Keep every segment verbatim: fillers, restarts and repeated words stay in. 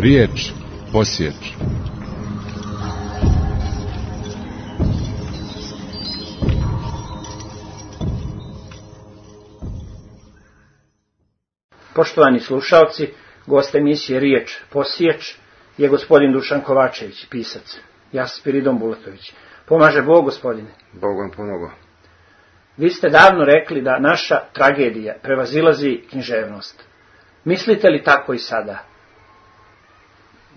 Riječ posječ. Poštovani slušalci, gost emisije Riječ posječ je gospodin Dušan Kovačević, pisac. Ja sam Spiridon Bulatović. Pomaže Bog, gospodine. Bog vam pomogao. Vi ste davno rekli da naša tragedija prevazilazi književnost. Mislite li tako i sada?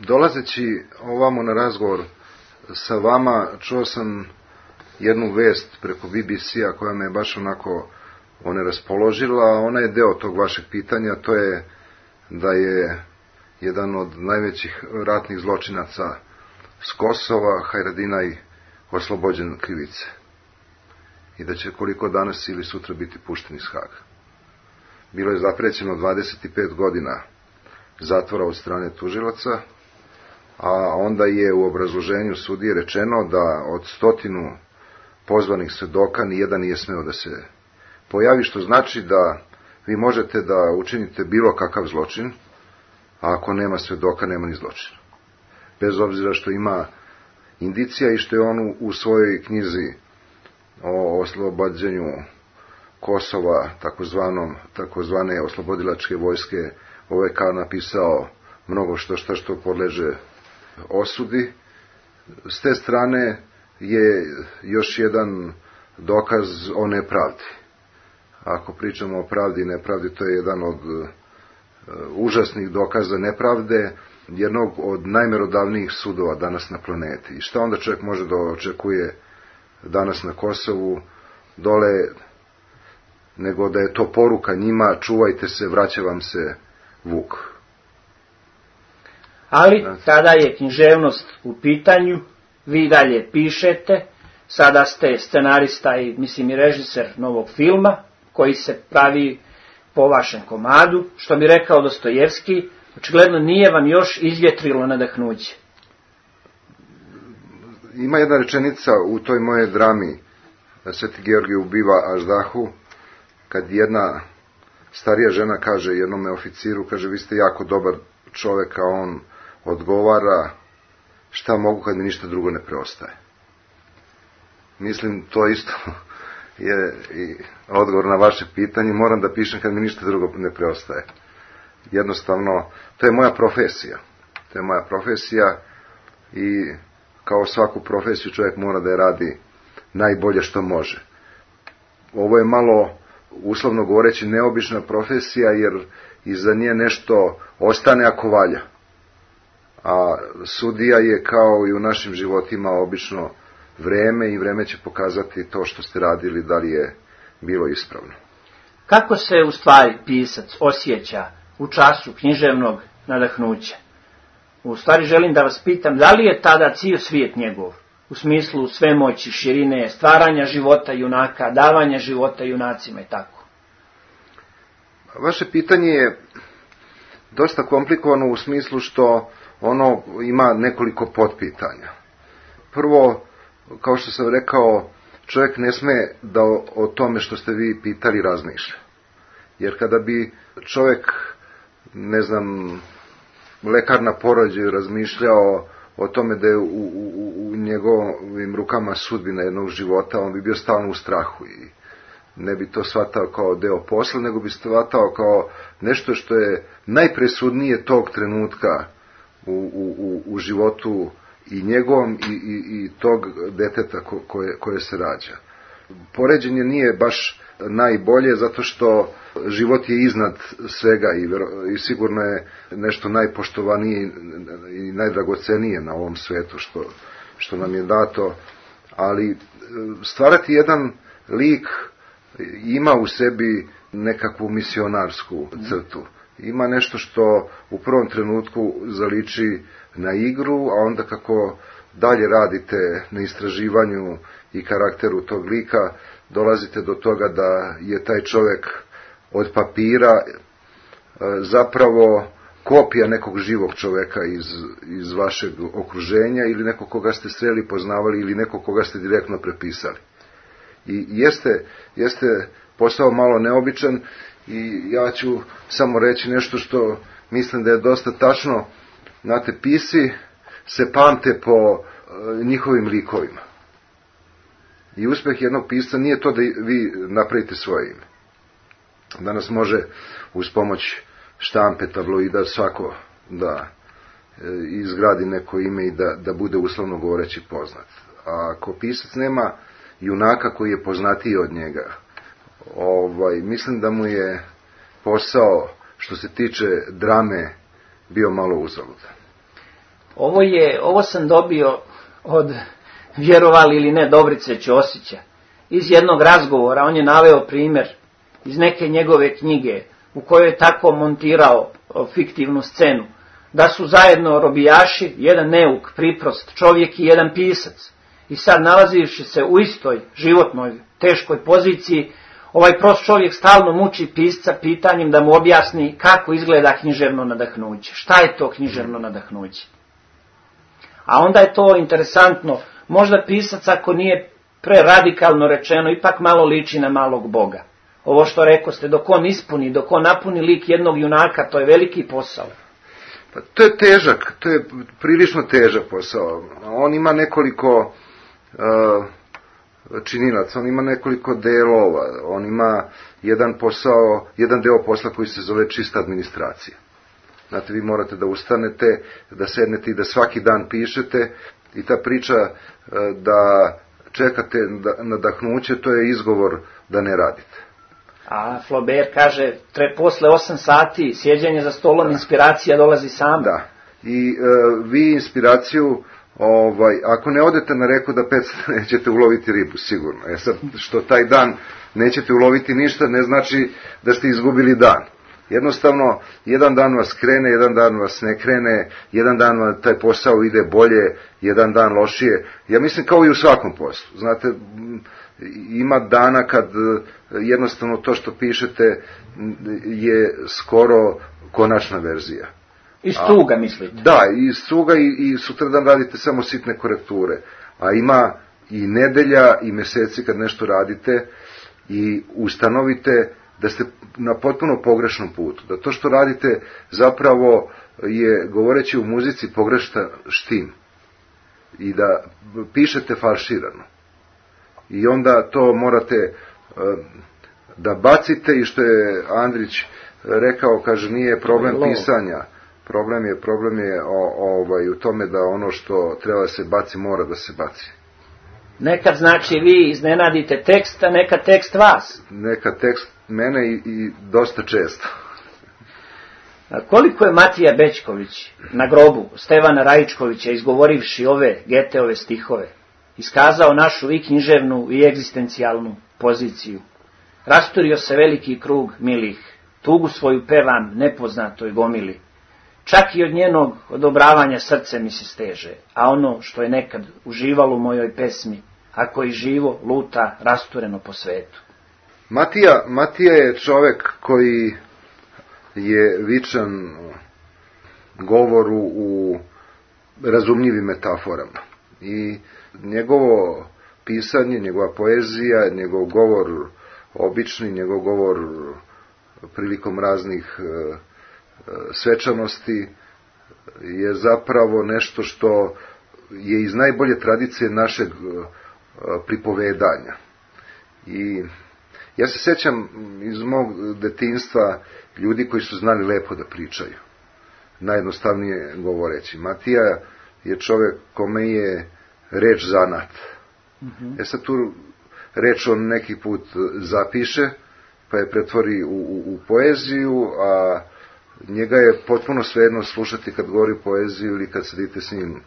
Dolazeći ovamo na razgovor sa vama, čuo sam jednu vest preko B B C-a koja me baš onako oneraspoložila, a ona je deo tog vašeg pitanja, to je da je jedan od najvećih ratnih zločinaca s Kosova, Hajradinaj, oslobođen krivice. I da će koliko danas ili sutra biti pušten iz Haga. Bilo je zaprećeno dvadeset pet godina zatvora od strane tužilaca, a onda je u obrazloženju sudije rečeno da od stotinu pozvanih svedoka nijedan nije smeo da se pojavi, što znači da vi možete da učinite bilo kakav zločin, a ako nema svedoka, nema ni zločina. Bez obzira što ima indicija i što je on u svojoj knjizi o oslobađanju Kosova, takozvanom, takozvane oslobodilačke vojske O V K, napisao mnogo što što što podleže osudi. S te strane je još jedan dokaz o nepravdi. Ako pričamo o pravdi i nepravdi, to je jedan od uh, užasnih dokaza nepravde, jednog od najmerodavnijih sudova danas na planeti. I šta onda čovjek može da očekuje danas na Kosovu, dole, nego da je to poruka njima: čuvajte se, vraća vam se Vuk. Ali tada je književnost u pitanju, vi dalje pišete, sada ste scenarista i, mislim, i režiser novog filma, koji se pravi po vašem komadu, što bi rekao Dostojevski, očigledno nije vam još izvjetrilo nadahnuće. Ima jedna rečenica u toj moje drami Sveti Georgij ubiva Aždahu, kad jedna starija žena kaže jednome oficiru, kaže: vi ste jako dobar čovjek, a on odgovara: šta mogu kad mi ništa drugo ne preostaje. Mislim, to isto je i odgovor na vaše pitanje: moram da pišem kad mi ništa drugo ne preostaje. Jednostavno, to je moja profesija. To je moja profesija i kao svaku profesiju čovjek mora da je radi najbolje što može. Ovo je malo, uslovno govoreći, neobična profesija, jer iza nje nešto ostane ako valja. A sudija je, kao i u našim životima, obično vreme, i vreme će pokazati to što ste radili, da li je bilo ispravno. Kako se u stvari pisac osjeća u času književnog nadahnuća? U stvari želim da vas pitam, da li je tada cijel svijet njegov, u smislu svemoći, širine, stvaranja života junaka, davanja života junacima i tako? Vaše pitanje je dosta komplikovano u smislu što ono ima nekoliko potpitanja. Prvo, kao što sam rekao, čovjek ne sme da o, o tome što ste vi pitali razmišlja. Jer kada bi čovjek, ne znam, lekar na porođaju razmišljao o tome da je u, u, u njegovim rukama sudbina jednog života, on bi bio stalno u strahu i ne bi to shvatao kao deo posla, nego bi shvatao kao nešto što je najpresudnije tog trenutka u, u, u životu i njegovom i, i, i tog deteta ko, koje, koje se rađa. Poređenje nije baš najbolje, zato što život je iznad svega i, i sigurno je nešto najpoštovanije i najdragocenije na ovom svetu što, što nam je dato, ali stvarati jedan lik ima u sebi nekakvu misionarsku crtu. Ima nešto što u prvom trenutku zaliči na igru, a onda kako dalje radite na istraživanju i karakteru tog lika, dolazite do toga da je taj čovjek od papira zapravo kopija nekog živog čovjeka iz, iz vašeg okruženja, ili nekog koga ste sreli, poznavali, ili nekog koga ste direktno prepisali. I jeste, jeste posao malo neobičan, i ja ću samo reći nešto što mislim da je dosta tačno. Znate, pisci se pamte po e, njihovim likovima. I uspeh jednog pisca nije to da vi napravite svoje ime. Danas može uz pomoć štampe, tabloida, svako da e, izgradi neko ime i da, da bude uslovno govoreći poznat. A ako pisac nema junaka koji je poznatiji od njega, ovaj, mislim da mu je posao što se tiče drame bio malo uzaludan. Ovo je, ovo sam dobio od, vjerovali ili ne, Dobrice Ćosića. Iz jednog razgovora on je naveo primjer iz neke njegove knjige u kojoj je tako montirao fiktivnu scenu, da su zajedno robijaši, jedan neuk, priprost čovjek i jedan pisac. I sad, nalazivši se u istoj životnoj, teškoj poziciji, ovaj prost čovjek stalno muči pisca pitanjem da mu objasni kako izgleda književno nadahnuće. Šta je to književno nadahnuće? A onda je to interesantno. Možda pisac, ako nije preradikalno rečeno, ipak malo liči na malog Boga. Ovo što rekoste, dok on ispuni, dok on napuni lik jednog junaka, to je veliki posao. Pa to je težak, to je prilično težak posao. On ima nekoliko uh, činilaca, on ima nekoliko delova, on ima jedan posao, jedan deo posla koji se zove čista administracija. Znate, vi morate da ustanete, da sednete i da svaki dan pišete, i ta priča uh, da čekate nadahnuće, to je izgovor da ne radite. A Flaubert kaže, tre, posle osam sati sjeđenje za stolom, da. Inspiracija dolazi sama. Da, i e, vi inspiraciju, ovaj, ako ne odete na reku da pecate, nećete uloviti ribu, sigurno. E sad, što taj dan nećete uloviti ništa, ne znači da ste izgubili dan. Jednostavno, jedan dan vas krene, jedan dan vas ne krene, jedan dan vam taj posao ide bolje, jedan dan lošije. Ja mislim kao i u svakom poslu. Znate, ima dana kad jednostavno to što pišete je skoro konačna verzija. Iz cuga, mislite? Da, iz cuga i, i sutradan radite samo sitne korekture. A ima i nedelja i meseci kad nešto radite i ustanovite da ste na potpuno pogrešnom putu. Da to što radite zapravo je, govoreći u muzici, pogrešta štim. I da pišete falširano. I onda to morate uh, da bacite, i što je Andrić rekao, kaže, nije problem pisanja. Problem je, problem je o, ovaj, u tome da ono što treba da se baci, mora da se baci. Nekad znači vi iznenadite tekst, a nekad tekst vas. Nekad tekst mene i, i dosta često. A koliko je Matija Bećković na grobu Stevana Raičkovića, izgovorivši ove Geteove stihove, iskazao našu i književnu i egzistencijalnu poziciju. Rasturio se veliki krug milih, tugu svoju pevam nepoznatoj gomili. Čak i od njenog odobravanja srce mi se steže, a ono što je nekad uživalo u mojoj pesmi, ako i živo luta rastureno po svetu. Matija, Matija je čovek koji je vičan govoru u razumljivim metaforama. I njegovo pisanje, njegova poezija, njegov govor obični, njegov govor prilikom raznih e, svečanosti je zapravo nešto što je iz najbolje tradicije našeg e, pripovedanja. I ja se sjećam iz mog detinjstva ljudi koji su znali lepo da pričaju, najjednostavnije govoreći. Matija je čovjek kome je reč zanat. Mm-hmm. E sad tu reč on neki put zapiše, pa je pretvori u, u, u poeziju, a njega je potpuno svejedno slušati kad govori poeziju ili kad sedite s njim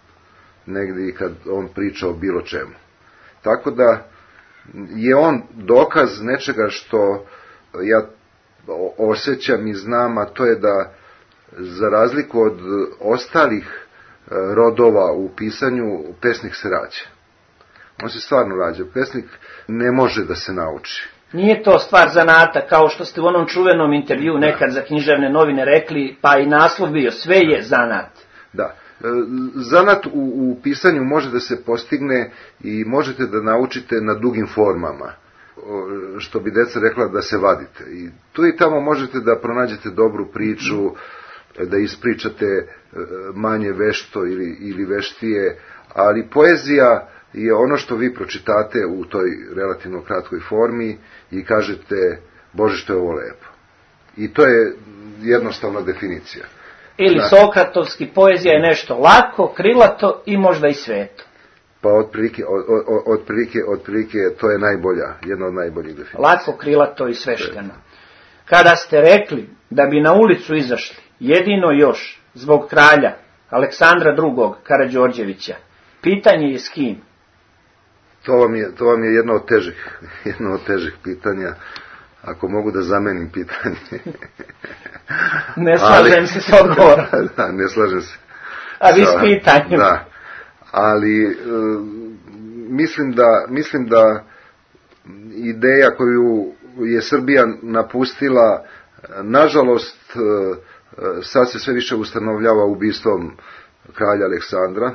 negdje i kad on priča o bilo čemu. Tako da je on dokaz nečega što ja osjećam i znam, a to je da za razliku od ostalih rodova u pisanju, pesnik se rađa. On se stvarno rađa. Pesnik ne može da se nauči. Nije to stvar zanata, kao što ste u onom čuvenom intervju nekad za književne novine rekli, pa i naslov bio, sve je zanat. Da. Zanat u, u pisanju može da se postigne i možete da naučite na dugim formama, što bi deca rekla, da se vadite. I tu i tamo možete da pronađete dobru priču, da ispričate manje vešto ili, ili veštije, ali poezija je ono što vi pročitate u toj relativno kratkoj formi i kažete, Bože, što je ovo lepo. I to je jednostavna definicija. Ili znači, Sokratovski, poezija je nešto lako, krilato i možda i sveto. Pa otprilike, otprilike, otprilike to je najbolja, jedna od najboljih definicija. Lako, krilato i svešteno. Kada ste rekli da bi na ulicu izašli, jedino još zbog kralja Aleksandra drugog. Karađorđevića, pitanje je s kim? To vam je, to vam je jedno od težih, jedno od težih pitanja. Ako mogu da zamenim pitanje. Ne slažem Ali, se s odgovorom. Da, ne slažem se. A vi s pitanjem. Da. Ali e, mislim da, mislim da ideja koju je Srbija napustila, nažalost, e, sad se sve više ustanovljava ubistvom kralja Aleksandra.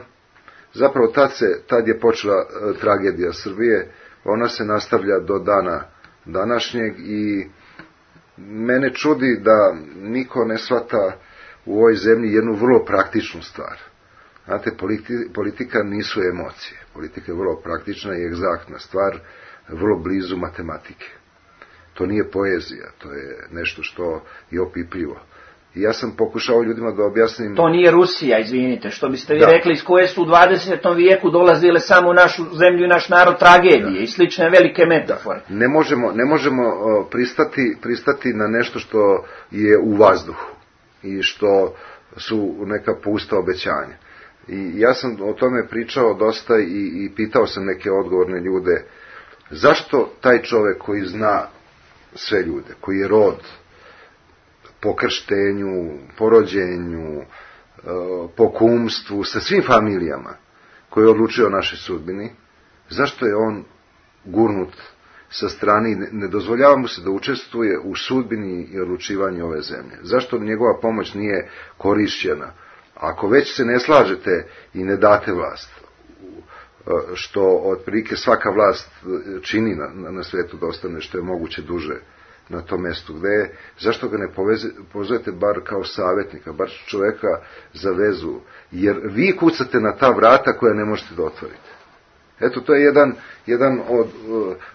Zapravo tad, se, tad je počela e, tragedija Srbije. Ona se nastavlja do dana današnjeg i mene čudi da niko ne shvata u ovoj zemlji jednu vrlo praktičnu stvar. Znate, politi, politika nisu emocije. Politika je vrlo praktična i egzaktna stvar, vrlo blizu matematike. To nije poezija, to je nešto što je opipljivo. I ja sam pokušao ljudima da objasnim... To nije Rusija, izvinite, što biste vi da. rekli, iz koje su u dvadesetom vijeku dolazile samo u našu zemlju i naš narod tragedije da. i slične velike metafore. Da. Ne možemo, ne možemo pristati, pristati na nešto što je u vazduhu i što su neka pusta obećanja. I ja sam o tome pričao dosta i, i pitao sam neke odgovorne ljude, zašto taj čovek koji zna sve ljude, koji je rod, po krštenju, po rođenju, po kumstvu, sa svim familijama koji je odlučio o našoj sudbini, zašto je on gurnut sa strane i ne dozvoljava mu se da učestvuje u sudbini i odlučivanju ove zemlje? Zašto njegova pomoć nije korišćena? Ako već se ne slažete i ne date vlast, što otprilike svaka vlast čini na, na svetu da ostane što je moguće duže na tom mestu gde je, zašto ga ne poveze, pozovete bar kao savjetnika, bar čoveka za vezu, jer vi kucate na ta vrata koja ne možete da otvorite. Eto, to je jedan, jedan od,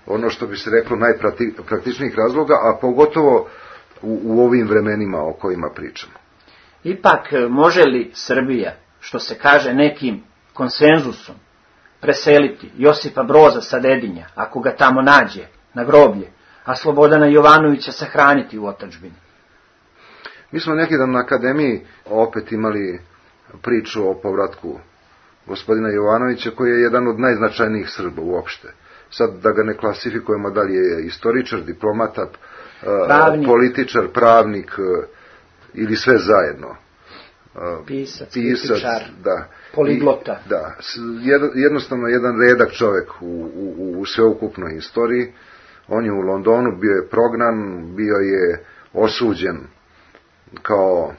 ono što bi se reklo, najpraktičnijih razloga, a pogotovo u, u ovim vremenima o kojima pričamo. Ipak, može li Srbija, što se kaže nekim konsenzusom, preseliti Josipa Broza sa Dedinja, ako ga tamo nađe, na groblje, a Slobodana Jovanovića sahraniti u otadžbini? Mi smo neki dan na akademiji opet imali priču o povratku gospodina Jovanovića, koji je jedan od najznačajnijih Srba uopšte. Sad da ga ne klasifikujemo da li je istoričar, diplomata, pravnik. političar, pravnik ili sve zajedno. Pisac, Pisac kritičar, da. poliglota. I, da, jednostavno jedan redak čovek u, u, u sveukupnoj istoriji. On je u Londonu, bio je prognan, bio je osuđen kao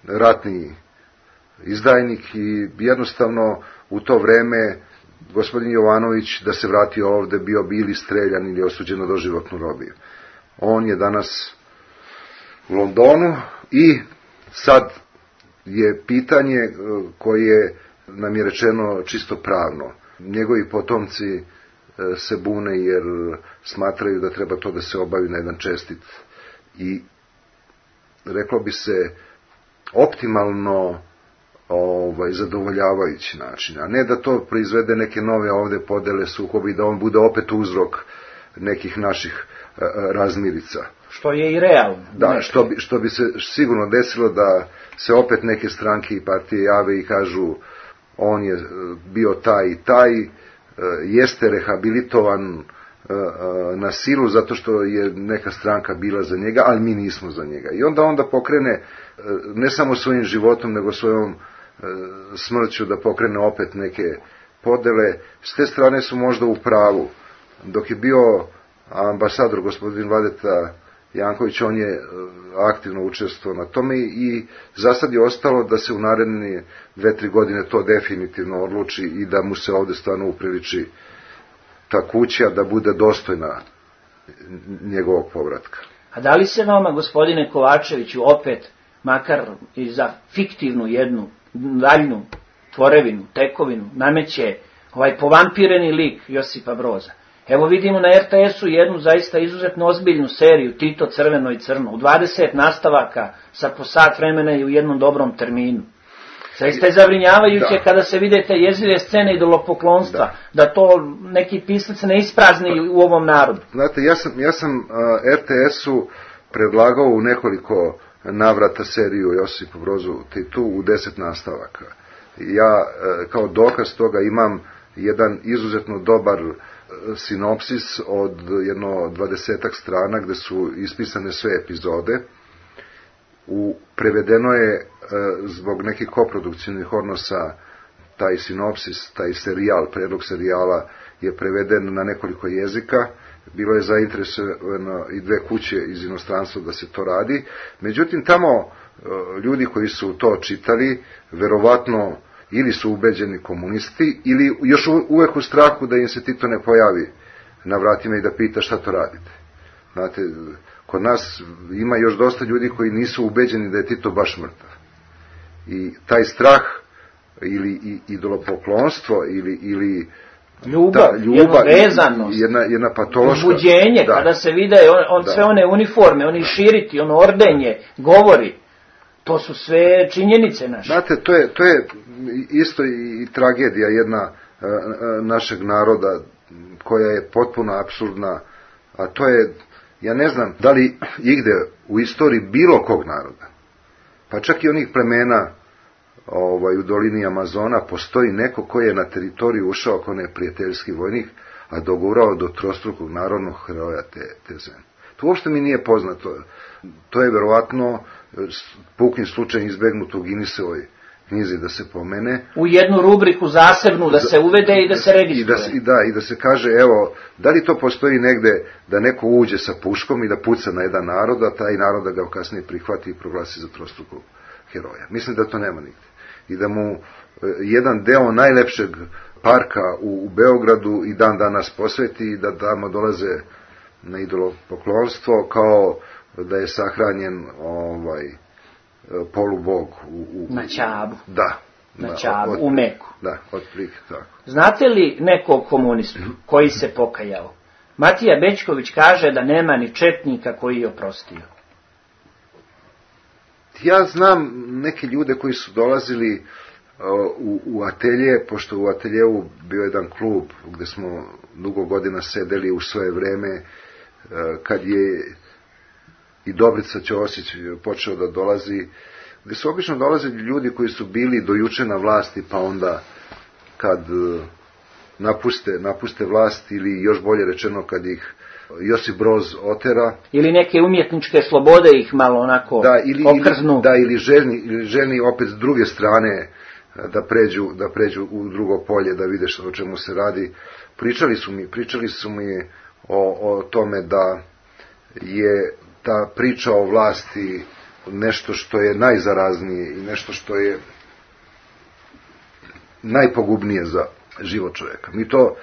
ratni izdajnik i jednostavno u to vreme gospodin Jovanović da se vratio ovde bio bi ili streljan ili osuđen na doživotnu robiju. On je danas u Londonu i sad je pitanje koje nam je rečeno čisto pravno. Njegovi potomci se bune jer smatraju da treba to da se obavi na jedan čestit i reklo bi se optimalno ovaj, zadovoljavajući način, a ne da to proizvede neke nove ovde podele, sukobi i da on bude opet uzrok nekih naših razmirica. Što je i realno. Da, što bi, što bi se sigurno desilo da se opet neke stranke i partije jave i kažu on je bio taj i taj, jeste rehabilitovan na silu zato što je neka stranka bila za njega, ali mi nismo za njega. I onda onda pokrene ne samo svojim životom, nego svojom smrću da pokrene opet neke podele. S te strane su možda u pravu. Dok je bio ambasador gospodin Vladeta Janković, on je aktivno učestvovao na tome i za sad je ostalo da se u naredne dve, tri godine to definitivno odluči i da mu se ovde stvarno upriliči ta kuća da bude dostojna njegovog povratka. A da li se vama, gospodine Kovačeviću, opet makar i za fiktivnu jednu daljnu tvorevinu, tekovinu, nameće ovaj povampireni lik Josipa Broza. Evo vidimo na er te esu jednu zaista izuzetno ozbiljnu seriju, Tito, crveno i crno, u dvadeset nastavaka sa po sat vremena i u jednom dobrom terminu. Zaista je zabrinjavajuće da. Kada se vide te jezive scene idolopoklonstva, da. da to neki pisac ne isprazni u ovom narodu. Znate, ja sam, ja sam uh, er te esu predlagao u nekoliko navrata seriju Josipu Brozu Titu u deset nastavaka. Ja uh, kao dokaz toga imam jedan izuzetno dobar sinopsis od jedno dvadesetak strana gde su ispisane sve epizode. U, prevedeno je e, zbog nekih koprodukcijnih odnosa taj sinopsis, taj serijal, predlog serijala je preveden na nekoliko jezika. Bilo je zainteresovano i dve kuće iz inostranstva da se to radi. Međutim, tamo e, ljudi koji su to čitali, verovatno ili su ubeđeni komunisti, ili još uvek u strahu da im se Tito ne pojavi na vratima i da pita šta to radite. Znate, kod nas ima još dosta ljudi koji nisu ubeđeni da je Tito baš mrtav. I taj strah ili idolopoklonstvo ili, ili ljubav, ta, ljubav vezanost, jedna, jedna patološka uzbuđenje, da. Kada se vide on, on sve one uniforme, oni širiti, ono ordenje, govori, to su sve činjenice naše. Znate, to je, to je isto i, i tragedija jedna a, a, našeg naroda koja je potpuno apsurdna, a to je, ja ne znam da li igde u istoriji bilo kog naroda, pa čak i onih plemena ovaj, u dolini Amazona, postoji neko koji je na teritoriju ušao kao neprijateljski vojnik, a dogurao do trostrukog narodnog heroja te, te zemlje. To uopšte mi nije poznato. To je verovatno pukim slučajem izbegnuto u Guinnessovoj knjizi da se pomene. U jednu rubriku zasebnu da se uvede i da se registruje. I da, i da, i da se kaže, evo, da li to postoji negde da neko uđe sa puškom i da puca na jedan narod, a taj narod da ga kasnije prihvati i proglasi za trostrukog heroja. Mislim da to nema nigde. I da mu jedan deo najlepšeg parka u, u Beogradu i dan danas posveti i da tamo dolaze na idolopoklonstvo kao da je sahranjen ovaj polubog u, u, na Čabu. Da. Na da, Čabu, od, u Meku. Da, otprilike tako. Znate li nekog komunistu koji se pokajao? Matija Bećković kaže da nema ni četnika koji je oprostio. Ja znam neke ljude koji su dolazili u, u atelje, pošto u ateljevu bio jedan klub gde smo dugo godina sedeli u svoje vreme, kad je i Dobrica Ćosić počeo da dolazi, gde su obično dolazili ljudi koji su bili do juče na vlasti, pa onda kad napuste, napuste vlast, ili još bolje rečeno kad ih Josip Broz otera. Ili neke umjetničke slobode ih malo onako da, ili, okrznu. Ili, da, ili željni, ili željni opet s druge strane da pređu, da pređu u drugo polje, da vide što, o čemu se radi. Pričali su mi, pričali su mi o, o tome da je ta priča o vlasti nešto što je najzaraznije i nešto što je najpogubnije za život čovjeka. Mi to,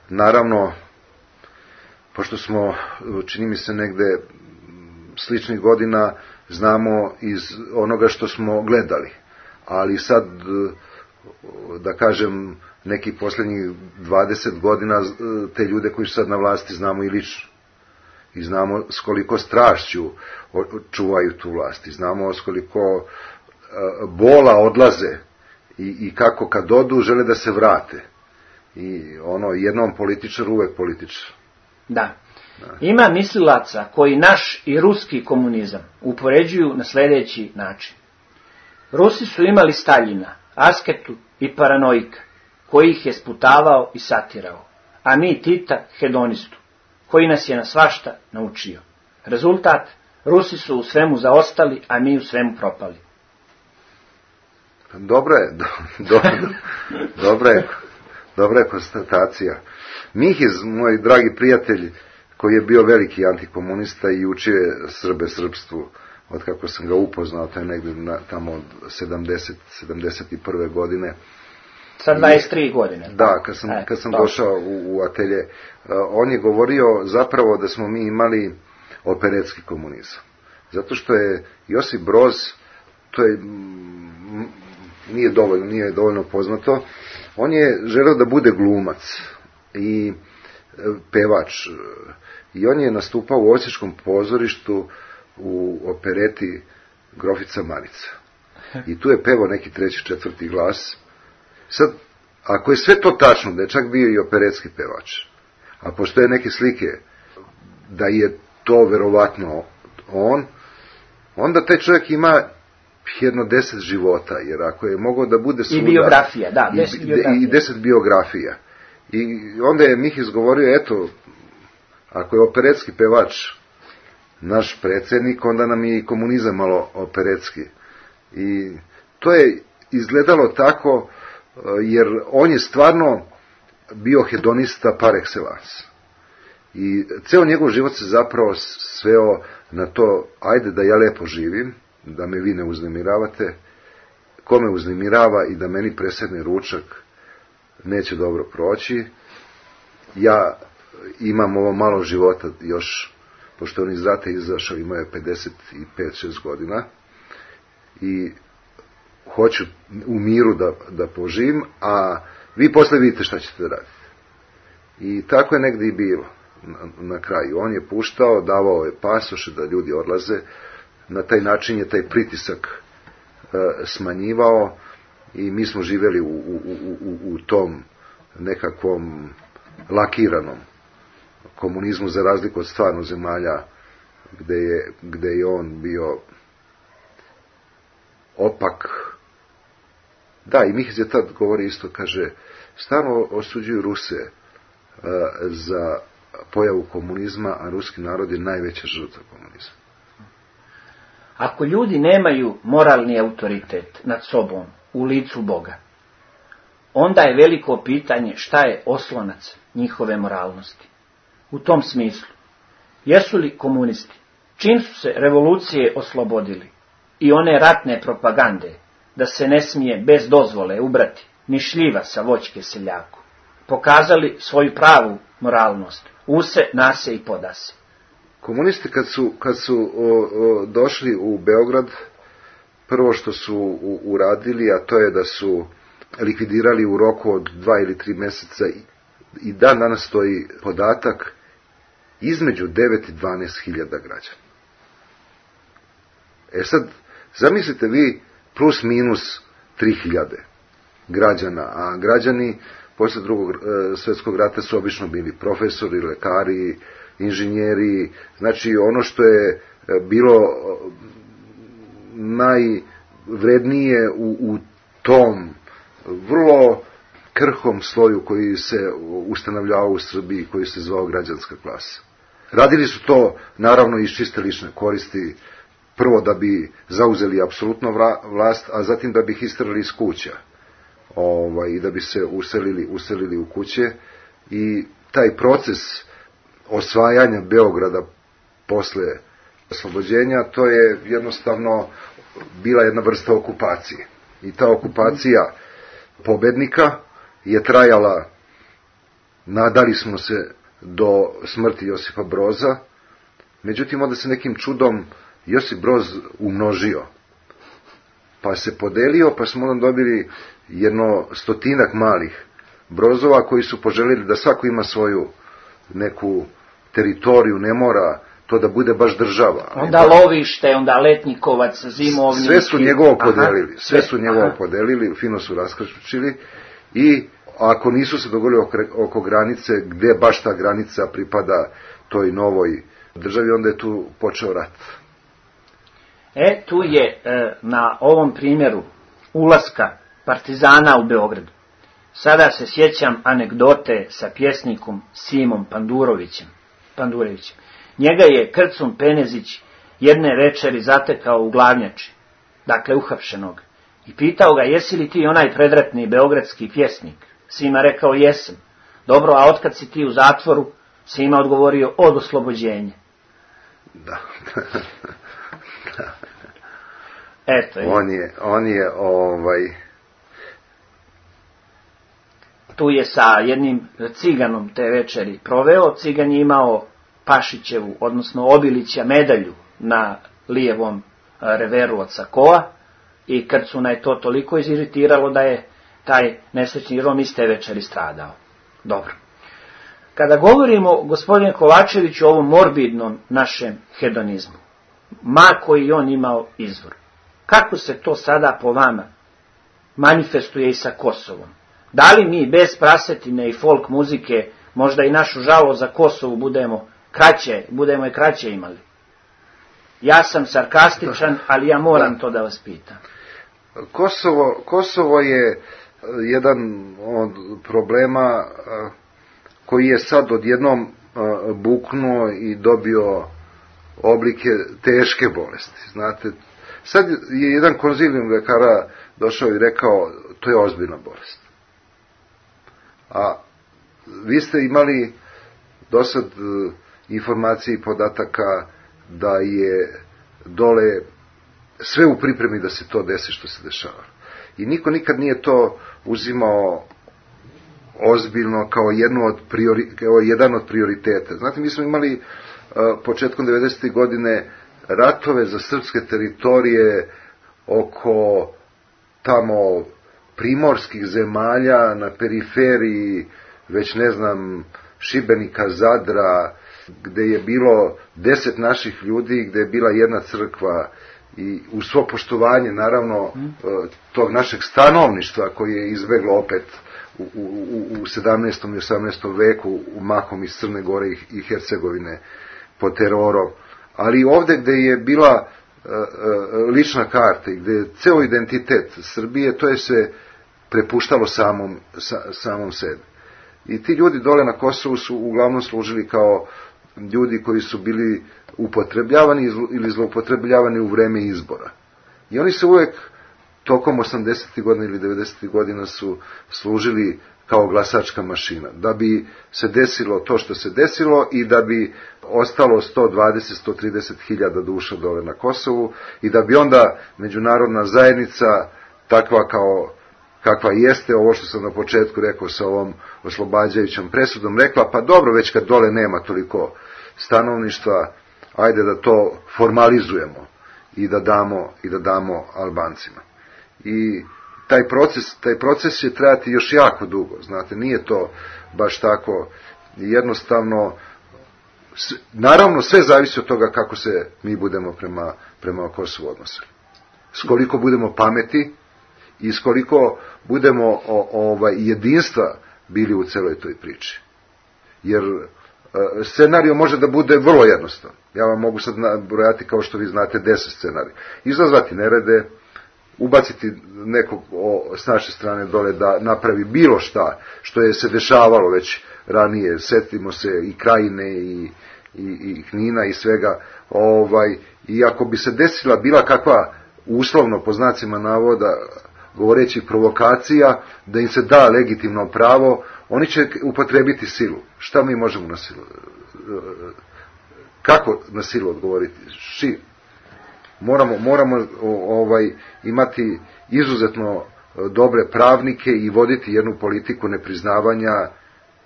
naravno, pošto smo, čini mi se, negde sličnih godina, znamo iz onoga što smo gledali. Ali sad, da kažem, neki posljednjih dvadeset godina te ljude koji su sad na vlasti znamo i lično. I znamo s koliko strašću čuvaju tu vlast. I znamo s koliko bola odlaze i, i kako kad odu žele da se vrate. I ono, jednom političar, uvek političar. Da. da. Ima mislilaca koji naš i ruski komunizam upoređuju na sljedeći način. Rusi su imali Staljina, asketu i paranoika, koji ih je sputavao i satirao, a mi Tita hedonistu, koji nas je na svašta naučio. Rezultat, Rusi su u svemu zaostali, a mi u svemu propali. Dobro je, do, do, dobra je, dobra je konstatacija. Mihiz, moj dragi prijatelj, koji je bio veliki antikomunista i učio je Srbe srpstvu, od kako sam ga upoznao, to je negdje na, tamo od sedamdeset, sedamdeset prve godine. Sa dvadeset tri godine. Da, kad sam, e, kad sam došao u, u atelje, uh, on je govorio zapravo da smo mi imali operetski komunizam. Zato što je Josip Broz to je, nije dovoljno, nije dovoljno poznato, on je želeo da bude glumac i pevač. I on je nastupao u Osječkom pozorištu u opereti Grofica Marica. I tu je pevao neki treći, četvrti glas. Sad, ako je sve to tačno, da je čak bio i operetski pevač, a postoje neke slike da je to verovatno on, onda taj čovjek ima jedno deset života, jer ako je mogao da bude svuda... I biografija, da, deset i, biografija. I deset biografija. I onda je Mih izgovorio, eto, ako je operetski pevač naš predsjednik, onda nam je i komunizam malo operetski. I to je izgledalo tako, jer on je stvarno bio hedonista par excellence. I ceo njegov život se zapravo sveo na to, ajde da ja lepo živim, da me vi ne uznemiravate, ko me uznemirava i da meni presedne ručak, neće dobro proći. Ja imam ovo malo života još, pošto on iz rata izašao, imao je pedeset pet šest godina i hoću u miru da, da poživim, a vi posle vidite šta ćete raditi. I tako je negdje i bilo na, na kraju. On je puštao, davao je pasoše da ljudi odlaze, na taj način je taj pritisak e, smanjivao i mi smo živjeli u, u, u, u tom nekakvom lakiranom komunizmu, za razliku od stvarno zemalja gde je, gde je on bio opak. Da, i Mihić je tad govori isto, kaže, stvarno osuđuju Ruse uh, za pojavu komunizma, a ruski narod je najveća žrtva komunizma. Ako ljudi nemaju moralni autoritet nad sobom u licu Boga, onda je veliko pitanje šta je oslonac njihove moralnosti. U tom smislu, jesu li komunisti, čim su se revolucije oslobodili i one ratne propagande, da se ne smije bez dozvole ubrati ni šljiva sa voćke seljaku, pokazali svoju pravu moralnost, use, nase i podase? Komunisti kad su, kad su o, o, došli u Beograd, prvo što su u, uradili, a to je da su likvidirali u roku od dva ili tri mjeseca, i dan danas stoji podatak, između devet i dvanaest hiljada građana. E sad, zamislite vi plus minus tri hiljade građana, a građani posle drugog e, svjetskog rata su obično bili profesori, lekari, inženjeri, znači ono što je bilo najvrednije u, u tom vrlo krhom sloju koji se ustanovljavao u Srbiji, koji se zvao građanska klasa. Radili su to naravno iz čiste lične koristi, prvo da bi zauzeli apsolutno vlast, a zatim da bi ih isterali iz kuća, ovaj, i da bi se uselili, uselili u kuće, i taj proces osvajanja Beograda posle oslobođenja, to je jednostavno bila jedna vrsta okupacije. I ta okupacija pobednika je trajala, nadali smo se, do smrti Josipa Broza. Međutim, onda se nekim čudom Josip Broz umnožio, pa se podelio, pa smo onda dobili jedno stotinak malih Brozova koji su poželili da svako ima svoju neku teritoriju, ne mora to da bude baš država. Onda baš lovište, onda letnikovac, zimovnik. Sve su njegovo podelili, sve su njegovo aha. podelili, fino su raskrčili, i ako nisu se dogovorili oko, oko granice, gde baš ta granica pripada toj novoj državi, onda je tu počeo rat. E, tu je e, na ovom primjeru ulaska partizana u Beogradu. Sada se sjećam anegdote sa pjesnikom Simom Pandurovićem. Pandurevićem. Njega je Krcun Penezić jedne večeri zatekao u glavnjači, dakle uhapšenog, i pitao ga, jesi li ti onaj predratni beogradski pjesnik? Sima rekao, jesam. Dobro, a otkad si ti u zatvoru? Sima odgovorio, od oslobođenja. Da. Da. Eto je. On je, on je ovaj... Tu je sa jednim ciganom te večeri proveo. Cigan je imao Pašićevu, odnosno Obilića medalju na lijevom reveru od sakoa, i Krcuna je to toliko iziritiralo da je taj nesrećni Rom iste večeri stradao. Dobro. Kada govorimo, gospodine Kovačeviću, o ovom morbidnom našem hedonizmu, ma koji on imao izvor, kako se to sada po vama manifestuje i sa Kosovom? Da li mi bez prasetine i folk muzike možda i našu žalost za Kosovu budemo kraće, budemo je kraće imali? Ja sam sarkastičan, ali ja moram to da vas pitam. Kosovo, Kosovo je jedan od problema koji je sad odjednom buknuo i dobio oblike teške bolesti. Znate, sad je jedan konzilijum lekara došao i rekao, to je ozbiljna bolest. A vi ste imali dosad informacije i podataka da je dole sve u pripremi da se to desi što se dešava. I niko nikad nije to uzimao ozbiljno kao, jedno od priori, kao jedan od prioriteta. Znate, mi smo imali uh, početkom devedesetih godine ratove za srpske teritorije oko tamo primorskih zemalja na periferiji, već ne znam, Šibenika, Zadra, gde je bilo deset naših ljudi, gde je bila jedna crkva, i u svo poštovanje, naravno, tog našeg stanovništva koje je izbeglo opet u, u, u sedamnaestom i osamnaestom veku, u mahom iz Crne Gore i Hercegovine pod terorom. Ali ovde gde je bila lična karta i gde je ceo identitet Srbije, to je se prepuštalo samom, sa, samom sebi. I ti ljudi dole na Kosovu su uglavnom služili kao ljudi koji su bili upotrebljavani ili zloupotrebljavani u vreme izbora. I oni se uvek tokom osamdesetih godina ili devedesetih godina su služili kao glasačka mašina, da bi se desilo to što se desilo i da bi ostalo sto dvadeset do sto trideset hiljada duša dole na Kosovu i da bi onda međunarodna zajednica, takva kao kakva jeste, ovo što sam na početku rekao sa ovom oslobađajućom presudom, rekla, pa dobro, već kad dole nema toliko stanovništva, ajde da to formalizujemo i da damo, i da damo Albancima. I taj proces, taj proces će trajati još jako dugo, znate, nije to baš tako jednostavno. Naravno, sve zavisi od toga kako se mi budemo prema, prema Kosovu odnosili. S koliko budemo pameti i s koliko budemo o, ovaj, jedinstva bili u celoj toj priči. Jer e, scenario može da bude vrlo jednostavan. Ja vam mogu sad nabrojati, kao što vi znate, deset scenarija. Izazvati nerede, ubaciti nekog o, s naše strane dole da napravi bilo šta što je se dešavalo već ranije, setimo se i Krajine i, i, i Knina i svega, ovaj, i ako bi se desila bila kakva uslovno po znacima navoda govoreći provokacija, da im se da legitimno pravo, oni će upotrebiti silu. Šta mi možemo na silu? Kako na silu odgovoriti? Ši? Moramo, moramo ovaj, imati izuzetno dobre pravnike i voditi jednu politiku nepriznavanja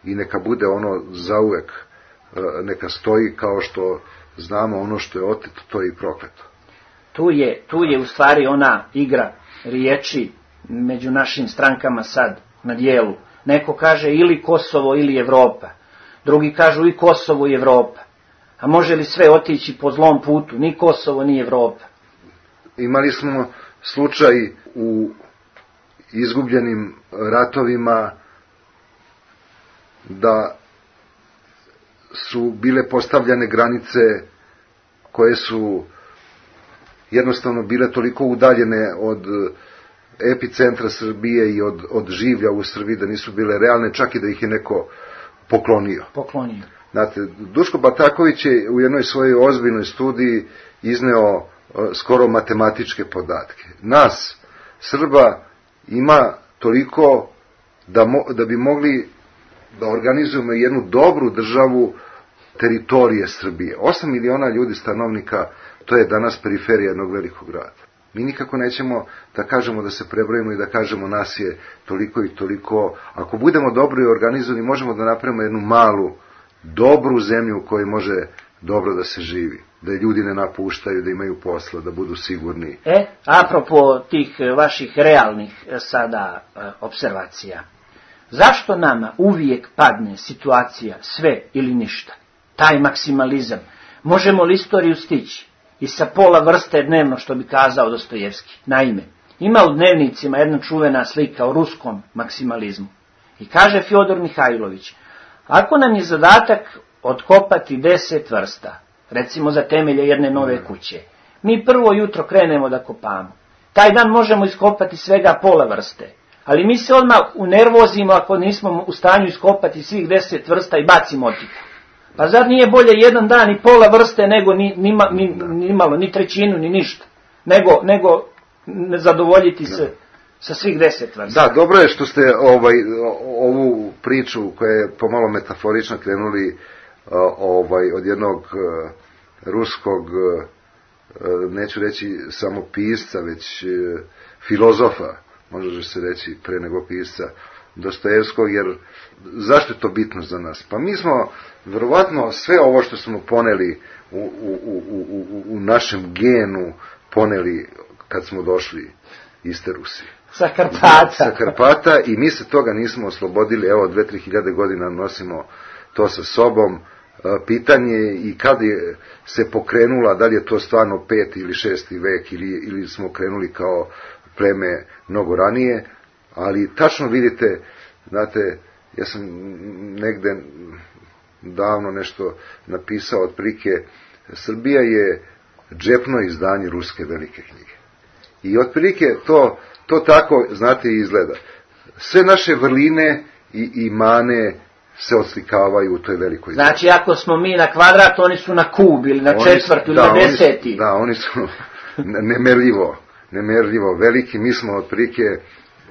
i neka bude ono zauvek, neka stoji kao što znamo, ono što je oteto, to je i prokleto. Tu je, tu je u stvari ona igra riječi među našim strankama sad na dijelu. Neko kaže ili Kosovo ili Evropa. Drugi kažu i Kosovo i Evropa. A može li sve otići po zlom putu? Ni Kosovo, ni Evropa. Imali smo slučaj u izgubljenim ratovima da su bile postavljane granice koje su jednostavno bile toliko udaljene od epicentra Srbije i od, od življa u Srbiji da nisu bile realne, čak i da ih je neko poklonio. Poklonio. Znate, Duško Bataković je u jednoj svojoj ozbiljnoj studiji izneo skoro matematičke podatke. Nas, Srba, ima toliko da, mo, da bi mogli da organizujemo jednu dobru državu teritorije Srbije. Osam miliona ljudi stanovnika, to je danas periferija jednog velikog grada. Mi nikako nećemo da kažemo da se prebrojimo i da kažemo nas je toliko i toliko. Ako budemo dobro i organizovani, možemo da napravimo jednu malu, dobru zemlju u kojoj može dobro da se živi, da je ljudi ne napuštaju, da imaju posla, da budu sigurni. E, apropo tih vaših realnih sada observacija, zašto nama uvijek padne situacija sve ili ništa? Taj maksimalizam. Možemo li istoriju stići? I sa pola vrste dnevno, što bi kazao Dostojevski. Naime, ima u dnevnicima jedna čuvena slika o ruskom maksimalizmu. I kaže Fjodor Mihajlović, ako nam je zadatak otkopati deset vrsta, recimo za temelje jedne nove kuće, mi prvo jutro krenemo da kopamo. Taj dan možemo iskopati svega pola vrste, ali mi se odmah unervozimo ako nismo u stanju iskopati svih deset vrsta i bacimo motiku. Pa zar nije bolje jedan dan i pola vrste nego ni, ni, ni, ni malo, ni trećinu, ni ništa, nego, nego ne zadovoljiti se sa svih deset vrsta. Da, dobro je što ste ovaj, ovu priču koja je pomalo metaforično krenuli ovaj, od jednog uh, ruskog, uh, neću reći samo pisca, već uh, filozofa, može se reći pre nego pisca, Dostojevskog, jer zašto je to bitno za nas? Pa mi smo, verovatno, sve ovo što smo poneli u, u, u, u, u našem genu, poneli kad smo došli iz te Rusije. Sa Karpata. Sa Karpata i mi se toga nismo oslobodili, evo, dve, tri hiljade godina nosimo to sa sobom. Pitanje je i kad je se pokrenula, da li je to stvarno peti ili šesti vek ili, ili smo krenuli kao pleme mnogo ranije, ali tačno vidite, znate, ja sam negde davno nešto napisao, otprilike, Srbija je džepno izdanje ruske velike knjige. I otprilike to, to tako, znate, izgleda. Sve naše vrline i, i mane se odslikavaju u toj velikoj zemlji. Znači, ako smo mi na kvadrat, oni su na kub ili na četvrt ili da, na deseti. Da, oni su nemerljivo, nemerljivo veliki. Mi smo otprilike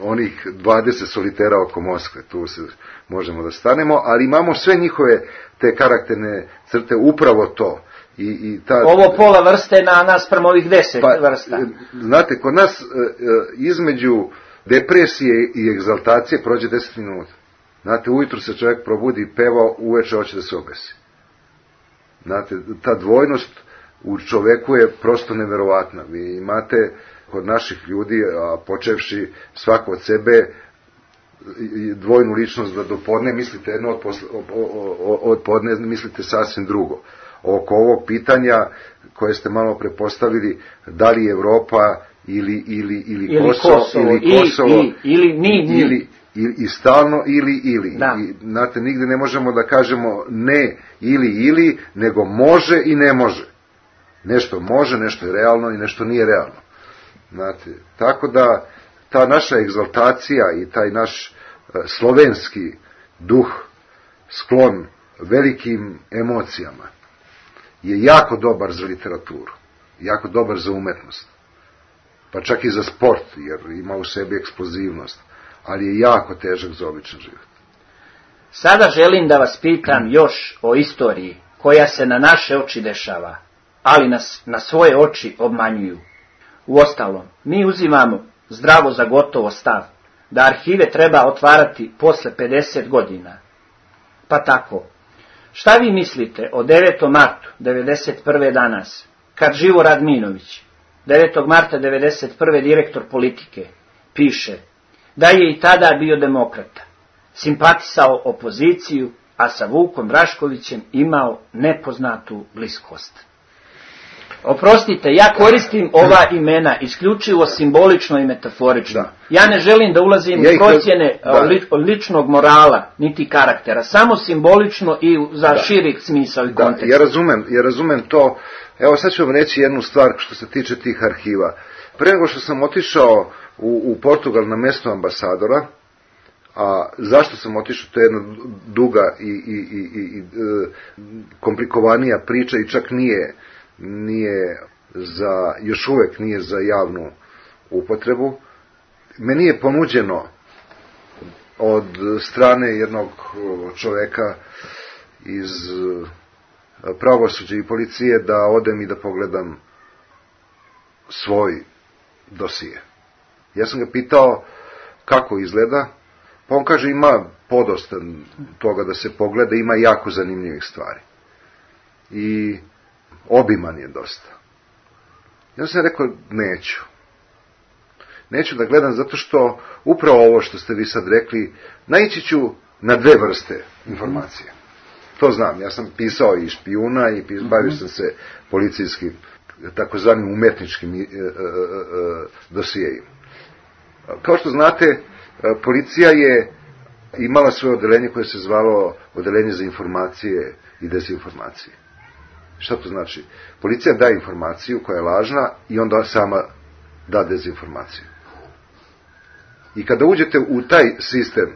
onih dvadeset solitera oko Moskve, tu se možemo da stanemo, ali imamo sve njihove te karakterne crte, upravo to. I, i ta, ovo pola vrste na nas prema ovih deset pa, vrsta. Znate, kod nas između depresije i egzaltacije prođe deset minuta. Znate, ujutru se čovjek probudi i peva, uveče hoće da se obesi. Znate, ta dvojnost u čoveku je prosto neverovatna. Vi imate kod naših ljudi, a počevši svako od sebe, dvojnu ličnost da do podne mislite jedno, od, posle, od podne mislite sasvim drugo. Oko ovog pitanja koje ste malo prepostavili, da li Evropa ili, ili, ili, ili Kosovo, Kosovo, ili Kosovo, i, i, ili ni, ni. Ili, i, i stalno ili, ili. Da. I, znate, nigde ne možemo da kažemo ne ili, ili, nego može i ne može. Nešto može, nešto je realno i nešto nije realno. Znate, tako da ta naša egzaltacija i taj naš uh, slovenski duh, sklon velikim emocijama, je jako dobar za literaturu, jako dobar za umetnost, pa čak i za sport, jer ima u sebi eksplozivnost, ali je jako težak za običan život. Sada želim da vas pitam još o istoriji koja se na naše oči dešava, ali nas na svoje oči obmanjuju. Uostalom, mi uzimamo zdravo za gotovo stav da arhive treba otvarati posle pedeset godina. Pa tako, šta vi mislite o devetom martu devedeset prve danas, kad Živor Radminović, devetog marta devedeset prve direktor Politike, piše da je i tada bio demokrata, simpatisao opoziciju, a sa Vukom Draškovićem imao nepoznatu bliskost. Oprostite, ja koristim ova imena isključivo simbolično i metaforično. Da. Ja ne želim da ulazim ja u procjene da. ličnog morala, niti karaktera, samo simbolično i za da. širi smisao i kontekst. Da, ja razumem, ja razumem to. Evo sad ću vam reći jednu stvar što se tiče tih arhiva. Pre nego što sam otišao u, u Portugal na mesto ambasadora, a zašto sam otišao, to je jedna duga i, i, i, i, i komplikovanija priča i čak nije nije za, još uvek nije za javnu upotrebu. Meni je ponuđeno od strane jednog čoveka iz pravosuđa i policije da odem i da pogledam svoj dosije. Ja sam ga pitao kako izgleda, pa on kaže ima podosta toga da se pogleda, ima jako zanimljivih stvari. i obiman je dosta. Ja sam rekao, neću. Neću da gledam zato što upravo ovo što ste vi sad rekli, naići ću na dve vrste informacije. To znam, ja sam pisao i špijuna i pis, bavio sam se policijskim, takozvanim umetničkim e, e, e, dosijejima. Kao što znate, policija je imala svoje odeljenje koje se zvalo odeljenje za informacije i dezinformacije. Šta to znači? Policija daje informaciju koja je lažna i onda sama da dezinformaciju. I kada uđete u taj sistem,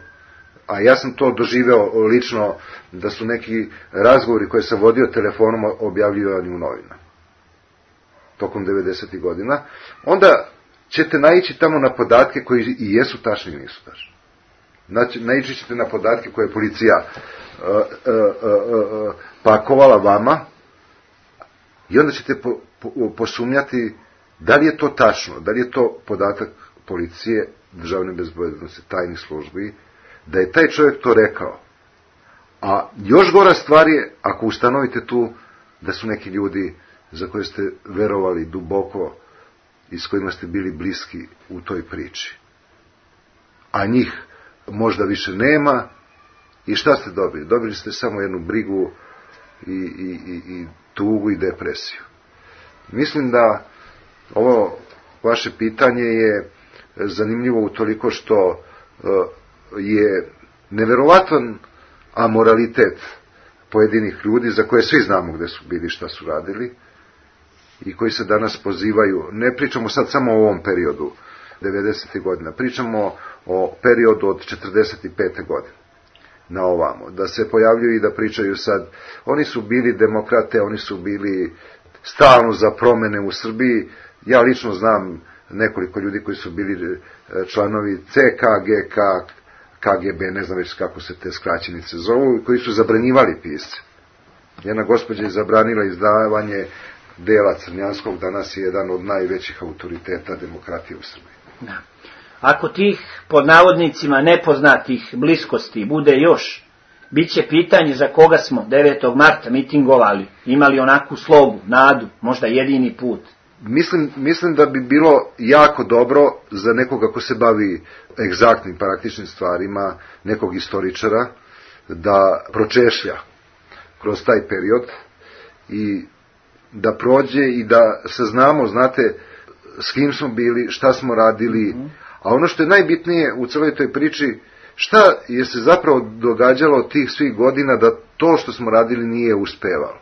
a ja sam to doživeo lično, da su neki razgovori koje sam vodio telefonom objavljivani u novinama tokom devedesetih godina, onda ćete naići tamo na podatke koji i jesu tačni i nisu tačni. Znači, naići ćete na podatke koje je policija uh, uh, uh, uh, pakovala vama i onda ćete po, po, posumnjati da li je to tačno, da li je to podatak policije, državne bezbednosti, tajnih službi, da je taj čovjek to rekao. A još gora stvar je, ako ustanovite tu da su neki ljudi za koje ste verovali duboko i s kojima ste bili bliski u toj priči. A njih možda više nema i šta ste dobili? Dobili ste samo jednu brigu i, i, i, i tugu i depresiju. Mislim da ovo vaše pitanje je zanimljivo utoliko što je neverovatan amoralitet pojedinih ljudi za koje svi znamo gde su bili, šta su radili i koji se danas pozivaju. Ne pričamo sad samo o ovom periodu devedesetih godina, pričamo o periodu od četrdeset pete godine na ovamo, da se pojavljuju i da pričaju sad, oni su bili demokrate, oni su bili stalno za promene u Srbiji. Ja lično znam nekoliko ljudi koji su bili članovi C K G K, K G B, ne znam već kako se te skraćenice zovu, koji su zabranjivali pisce. Jedna gospođa je zabranila izdavanje dela Crnjanskog, danas je jedan od najvećih autoriteta demokratije u Srbiji. Da. Ako tih, pod navodnicima, nepoznatih bliskosti bude još, bit će pitanje za koga smo devetog marta mitingovali, imali onakvu slogu, nadu, možda jedini put. Mislim, mislim da bi bilo jako dobro za nekoga ko se bavi egzaktnim praktičnim stvarima, nekog istoričara, da pročešlja kroz taj period i da prođe i da saznamo, znate, s kim smo bili, šta smo radili, mm-hmm. A ono što je najbitnije u celoj toj priči, šta je se zapravo događalo tih svih godina da to što smo radili nije uspevalo.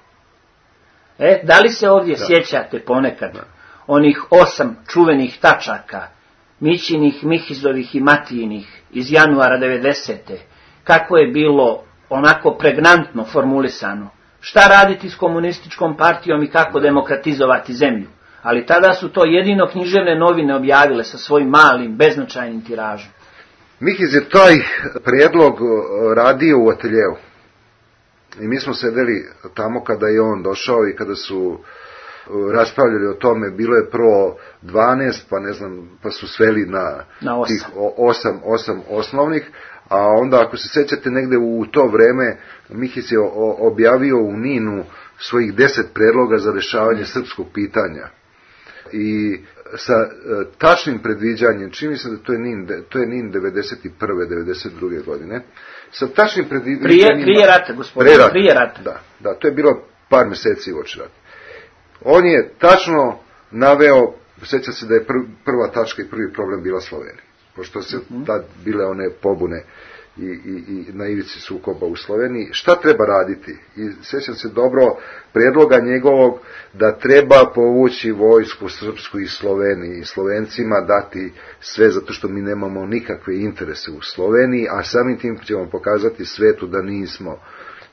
E, da li se ovdje da. sjećate ponekad da. onih osam čuvenih tačaka, Mićinih, Mihizovih i Matijinih iz januara devedesete kako je bilo onako pregnantno formulisano, šta raditi s komunističkom partijom i kako demokratizovati zemlju. Ali tada su to jedino književne novine objavile sa svojim malim, beznačajnim tiražom. Mihiz je taj prijedlog radio u ateljevu. I mi smo sedeli tamo kada je on došao i kada su raspravljali o tome, bilo je prvo dvanaest, pa ne znam, pa su sveli na, na tih osam, osam osnovnih, a onda ako se sećate negde u to vreme, Mihiz je objavio u Ninu svojih deset predloga za rešavanje srpskog pitanja. I sa uh, tačnim predviđanjem, čini mi se da to je Nin, to je Nin devedeset prve devedeset druge godine, sa tačnim predviđanjem... Prije, prije rata, gospodine, prije rata. Prije rata. Da, da, to je bilo par meseci uoči rata. On je tačno naveo, sjeća se da je prv, prva tačka i prvi problem bila Slovenija, pošto se mm-hmm. tad bile one pobune i, i, i na ivici sukoba u Sloveniji. Šta treba raditi? I sjećam se dobro prijedloga njegovog da treba povući vojsku srpsku iz Slovenije i Slovencima dati sve, zato što mi nemamo nikakve interese u Sloveniji, a samim tim ćemo pokazati svetu da nismo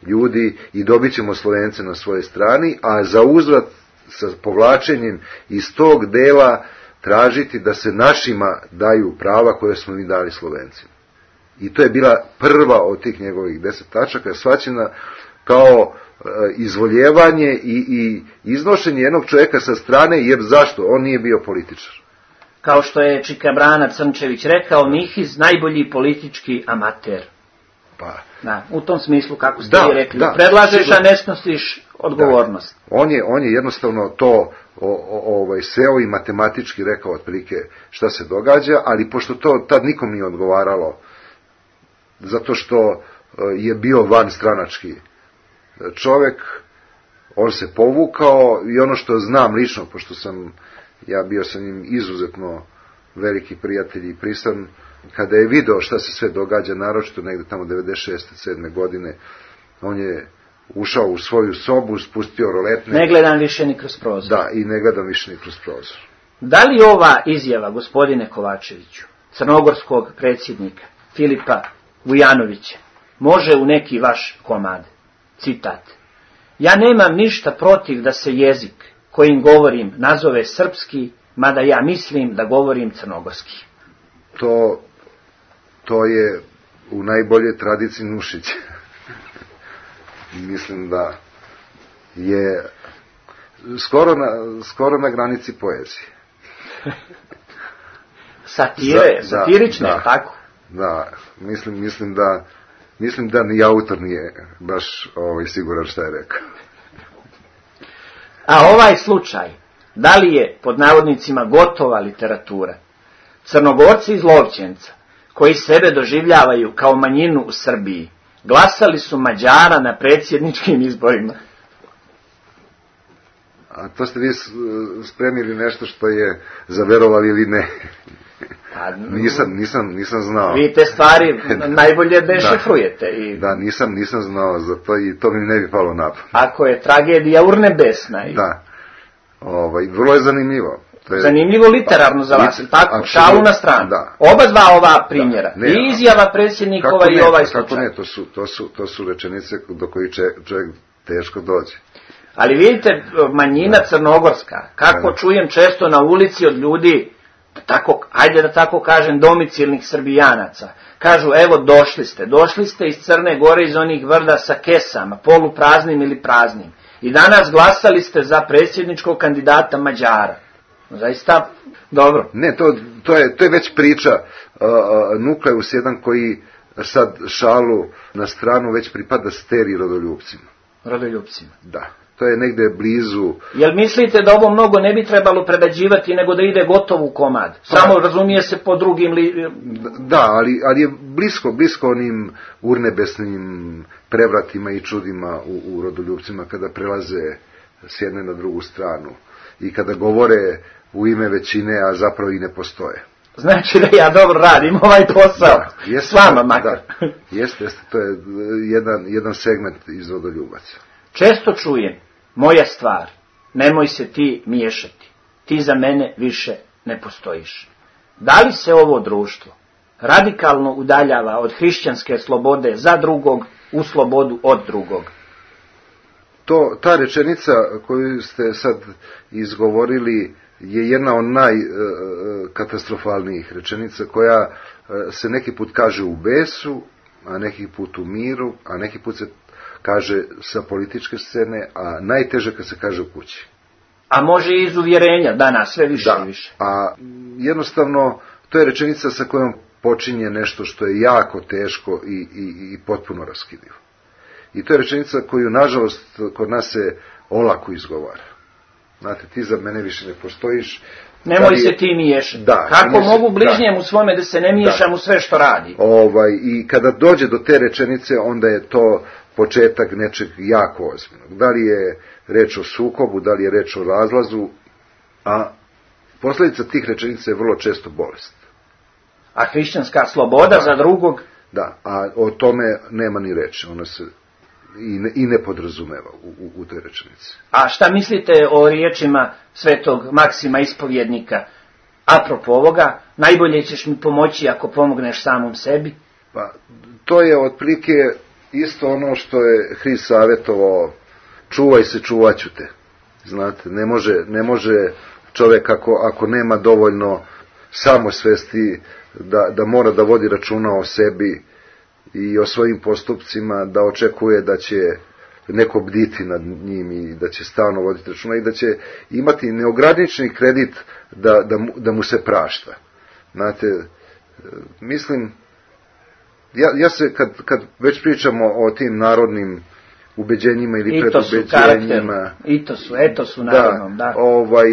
ljudi i dobit ćemo Slovence na svojoj strani, a za uzvrat sa povlačenjem iz tog dela tražiti da se našima daju prava koje smo mi dali Slovencima. I to je bila prva od tih njegovih deset tačaka, shvaćena kao e, izvoljevanje i, i iznošenje jednog čovjeka sa strane, jer zašto? On nije bio političar. Kao što je Čika Brana Crnčević rekao, Mihiz najbolji politički amater. Pa, da, u tom smislu, kako ste da, vi rekli, da, predlažeš, sigurno, a ne snosiš odgovornost. Da. On je, on je jednostavno to o, o, ovaj, sveo i matematički rekao otprilike šta se događa, ali pošto to tad nikom nije odgovaralo, zato što je bio van stranački čovek, on se povukao i ono što znam lično, pošto sam ja bio sa njim izuzetno veliki prijatelj i prisan, kada je video šta se sve događa, naročito negde tamo devedeset šeste sedme godine, on je ušao u svoju sobu, spustio roletne. Ne gledam više ni kroz prozor. Da, i ne gledam više ni kroz prozor. Da li ova izjava, gospodine Kovačeviću, crnogorskog predsjednika Filipa Vujanovića, može u neki vaš komad? Citat. Ja nemam ništa protiv da se jezik kojim govorim nazove srpski, mada ja mislim da govorim crnogorski. To, to je u najbolje tradiciji Nušić. Mislim da je skoro na, skoro na granici poezije. Satire, Za, satirične, da, tako? Da, mislim, mislim da mislim da ni autor nije baš ovaj, siguran šta je rekao. A ovaj slučaj, da li je pod navodnicima gotova literatura? Crnogorci iz Lovćenca, koji sebe doživljavaju kao manjinu u Srbiji, glasali su Mađara na predsjedničkim izborima. A to ste vi spremili nešto što je zaverovali ili ne? A, nisam, nisam, nisam znao. Vi te stvari najbolje dešifrujete. I... Da, nisam, nisam znao za to i to mi ne bi palo na pamet. Ako je tragedija urnebesna. I... Da. Ovaj, vrlo je zanimljivo. To je... Zanimljivo literarno za vas, Lit... tako, Absolut... šalu na stranu. Da. Oba dva ova primjera, da. Ne, i izjava predsjednikova i ovaj slučaj. Kako ne, to su, to su, to su rečenice do koji čovjek teško dođe. Ali vidite, manjina da. Crnogorska, kako da. Čujem često na ulici od ljudi, tako, ajde da tako kažem, domicilnih Srbijanaca, kažu, evo došli ste, došli ste iz Crne Gore, iz onih vrda sa kesama, polupraznim ili praznim, i danas glasali ste za predsjedničkog kandidata Mađara. Zaista, dobro. Ne, to, to, je, to je već priča, uh, nukleus jedan koji sad šalu na stranu već pripada steri rodoljupcima. Rodoljupcima. Da. To je negde blizu. Jel mislite da ovo mnogo ne bi trebalo predađivati nego da ide gotovu komad? Samo pa, razumije se po drugim li... Da, ali, ali je blisko, blisko onim urnebesnim prevratima i čudima u, u rodoljupcima kada prelaze s jedne na drugu stranu i kada govore u ime većine, a zapravo i ne postoje. Znači da ja dobro radim ovaj posao. Da, jeste, s vama makar. Da, jeste, jeste, to je jedan, jedan segment iz rodoljubaca. Često čujem, moja stvar, nemoj se ti miješati, ti za mene više ne postojiš. Da li se ovo društvo radikalno udaljava od hrišćanske slobode za drugog u slobodu od drugog? To, ta rečenica koju ste sad izgovorili je jedna od najkatastrofalnijih rečenica koja se neki put kaže u besu, a neki put u miru, a neki put se kaže sa političke scene, a najteže kad se kaže u kući. A može i iz uvjerenja, danas sve više da, i više. A jednostavno, to je rečenica sa kojom počinje nešto što je jako teško i, i, i potpuno raskidivo. I to je rečenica koju, nažalost, kod nas se olako izgovara. Znate, ti za mene više ne postojiš. Nemoj je, se ti miješati. Da, kako mogu bližnjemu da, svome da se ne miješam da, u sve što radi? Ovaj, I kada dođe do te rečenice, onda je to početak nečeg jako ozbiljnog. Da li je reč o sukobu, da li je reč o razlazu, a posljedica tih rečenica je vrlo često bolest. A hrišćanska sloboda da, za drugog? Da, a o tome nema ni reči, ona se i ne, i ne podrazumeva u, u, u toj rečenici. A šta mislite o riječima svetog Maksima Ispovjednika? Apropo ovoga, najbolje ćeš mi pomoći ako pomogneš samom sebi? Pa, to je otprilike isto ono što je Hrist savjetovao, čuvaj se, čuvaću te. Znate, ne može, ne može čovjek ako, ako nema dovoljno samosvesti da, da mora da vodi računa o sebi i o svojim postupcima, da očekuje da će neko bditi nad njim i da će stalno voditi računa i da će imati neograničeni kredit da, da, mu, da mu se prašta. Znate, mislim, ja, ja se, kad, kad već pričamo o tim narodnim ubeđenjima ili predubeđenjima... I to su, eto su narodnom, da. da. Ovaj,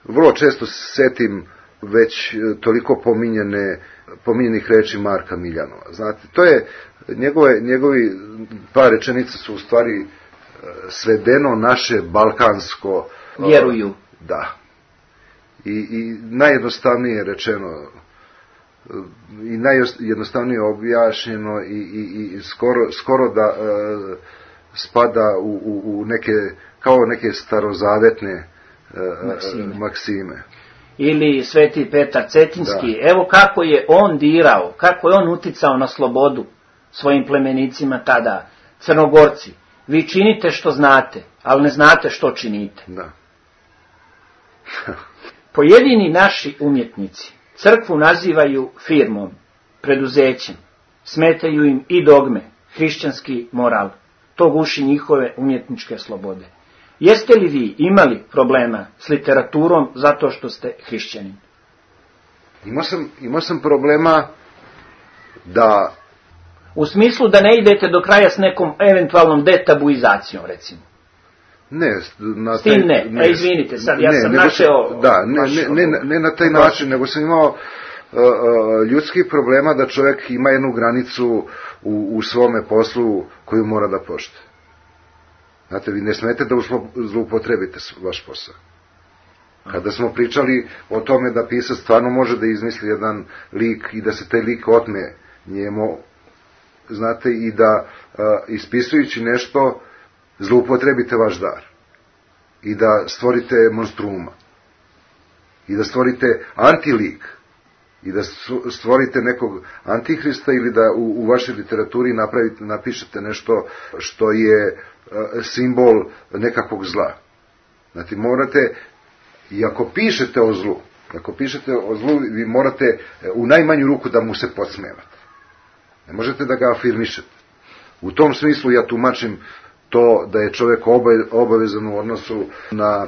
vrlo često setim već toliko pominjene, pominjenih reči Marka Miljanova. Znate, to je, njegove, njegovi par rečenica su u stvari svedeno naše balkansko... Vjeruju. Da. I, i najjednostavnije rečeno i najjednostavnije objašnjeno i, i, i skoro, skoro da e, spada u, u, u neke, kao neke starozavetne e, maksime. maksime. Ili Sveti Petar Cetinski, da. Evo kako je on dirao, kako je on uticao na slobodu svojim plemenicima tada, Crnogorci. Vi činite što znate, ali ne znate što činite. Da. Pojedini naši umjetnici crkvu nazivaju firmom, preduzećem, smetaju im i dogme, hrišćanski moral, to guši njihove umjetničke slobode. Jeste li vi imali problema s literaturom zato što ste hrišćanin? Imao sam, imao sam problema da... U smislu da ne idete do kraja s nekom eventualnom detabuizacijom, recimo. Ne, na s tim taj, ne, ne, izvinite, sad ja ne, sam našao... Da, ne, ne, ne, ne na taj način, nego sam imao uh, uh, ljudskih problema da čovjek ima jednu granicu u, u svome poslu koju mora da poštuje. Znate, vi ne smete da zloupotrebite vaš posao. Kada smo pričali o tome da pisac stvarno može da izmisli jedan lik i da se taj lik otme njemu, znate, i da uh, ispisujući nešto zloupotrebite vaš dar i da stvorite monstruma i da stvorite antilik i da stvorite nekog antihrista ili da u, u vašoj literaturi napravite, napišete nešto što je uh, simbol nekakvog zla. Znači, morate, i ako pišete o zlu, ako pišete o zlu, vi morate u najmanju ruku da mu se podsmevate. Ne možete da ga afirmišete. U tom smislu ja tumačim to da je čovjek obavezan u odnosu na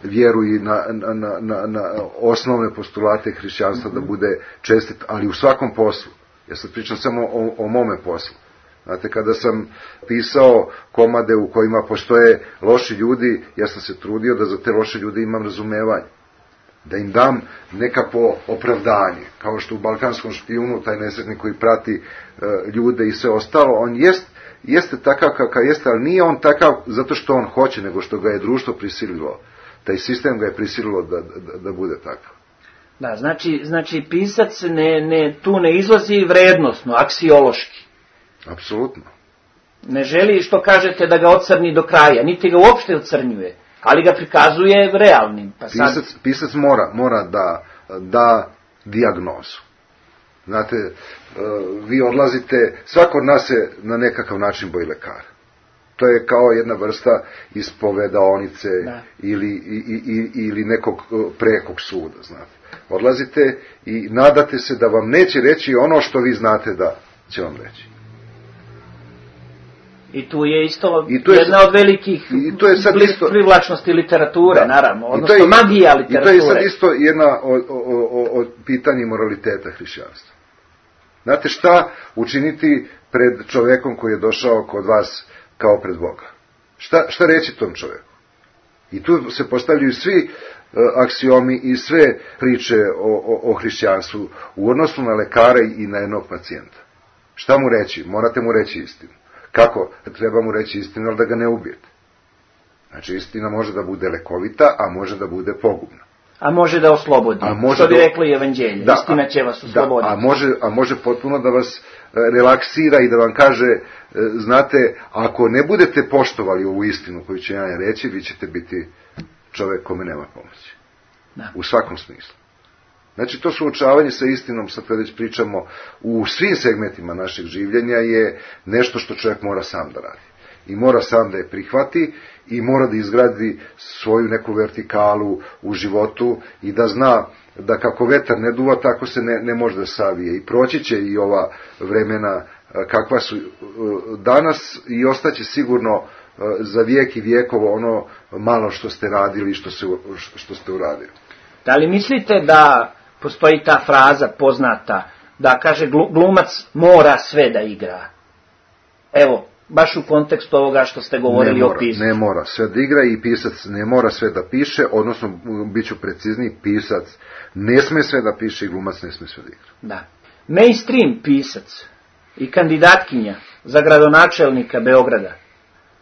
vjeru i na, na, na, na osnovne postulate hrišćanstva da bude čestit, ali u svakom poslu. Ja sad pričam samo o, o mome poslu. Znate, kada sam pisao komade u kojima postoje loši ljudi, ja sam se trudio da za te loše ljude imam razumevanje. Da im dam nekakvo opravdanje. Kao što u Balkanskom špijunu, taj nesretnik koji prati e, ljude i sve ostalo, on jest, jeste takav kakav jeste, ali nije on takav zato što on hoće, nego što ga je društvo prisililo. Taj sistem ga je prisililo da, da, da bude takav. Da, znači, znači pisac ne, ne, tu ne izlazi vrednostno, aksiološki. Apsolutno. Ne želi, što kažete, da ga ocrni do kraja, niti ga uopšte ocrnjuje, ali ga prikazuje realnim. Pa sad... pisac, pisac mora, mora da da dijagnozu. Znate, vi odlazite, svako od nas se na nekakav način boji lekara. To je kao jedna vrsta ispovedaonice ili, i, i, ili nekog prekog suda, znate. Odlazite i nadate se da vam neće reći ono što vi znate da će vam reći. I tu je isto je, jedna od velikih i to je sad isto, privlačnosti literature, da, naravno, odnosno je, magija literature. I to je sad isto jedna od, od, od pitanja moraliteta hrišćanstva. Znate šta učiniti pred čovjekom koji je došao kod vas kao pred Boga? Šta, šta reći tom čovjeku? I tu se postavljaju svi uh, aksiomi i sve priče o, o, o hrišćanstvu u odnosu na lekara i na jednog pacijenta. Šta mu reći? Morate mu reći istinu. Kako? Treba mu reći istinu, ali da ga ne ubijete. Znači, istina može da bude lekovita, a može da bude pogubna. A može da oslobodi, što bi rekli evanđelje. Da, istina će vas osloboditi. Da, a, može, a može potpuno da vas relaksira i da vam kaže, znate, ako ne budete poštovali ovu istinu koju će ja reći, vi ćete biti čovjek kome nema pomoći. Da. U svakom smislu. Znači, to suočavanje sa istinom, sad kad već pričamo, u svim segmentima našeg življenja je nešto što čovjek mora sam da radi. I mora sam da je prihvati i mora da izgradi svoju neku vertikalu u životu i da zna da kako vetar ne duva, tako se ne, ne može da savije. I proći će i ova vremena kakva su danas i ostaće sigurno za vijek i vijekovo ono malo što ste radili i što, se, što ste uradili. Da li mislite da postoji ta fraza poznata, da kaže glumac mora sve da igra. Evo, baš u kontekstu ovoga što ste govorili ne mora, o pisacu. Ne mora sve da igra i pisac ne mora sve da piše, odnosno, bit ću precizniji, pisac ne sme sve da piše i glumac ne sme sve da igra. Da. Mainstream pisac i kandidatkinja za gradonačelnika Beograda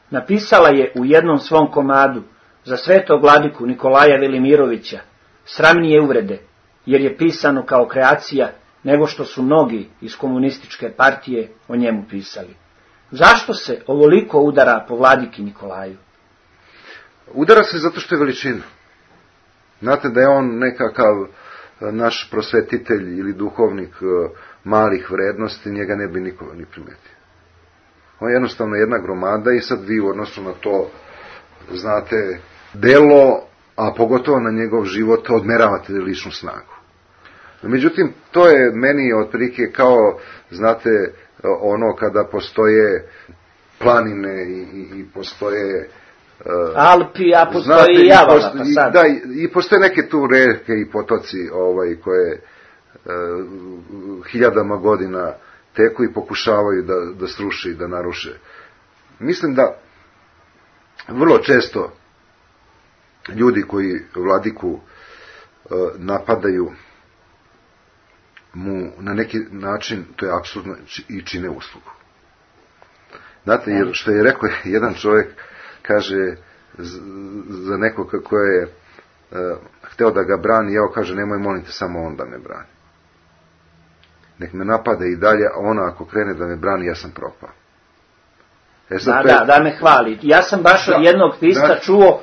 napisala je u jednom svom komadu za svetog vladiku Nikolaja Velimirovića sramnije uvrede, jer je pisano kao kreacija nego što su mnogi iz komunističke partije o njemu pisali. Zašto se ovoliko udara po vladiki Nikolaju? Udara se zato što je veličina. Znate da je on nekakav naš prosvetitelj ili duhovnik malih vrednosti, njega ne bi niko ni primetio. On je jednostavno jedna gromada i sad vi u odnosu na to, znate, delo, a pogotovo na njegov život, odmeravate ličnu snagu. Međutim, to je meni otprilike kao, znate, ono kada postoje planine i, i, i postoje uh, Alpi, a postoje i Javala, posto, pa sad. Da, i, i postoje neke tu reke i potoci ovaj, koje uh, hiljadama godina teku i pokušavaju da, da sruše i da naruše. Mislim da vrlo često ljudi koji vladiku uh, napadaju mu na neki način, to je apsurdno, i čine uslugu. Znate, jer što je rekao jedan čovjek, kaže za nekog ko je uh, hteo da ga brani, evo kaže, nemoj molite, samo on da me brani. Nek me napade i dalje, a ona ako krene da me brani, ja sam propao. E da, je... da, da me hvali. Ja sam baš da, od jednog pisca da, čuo,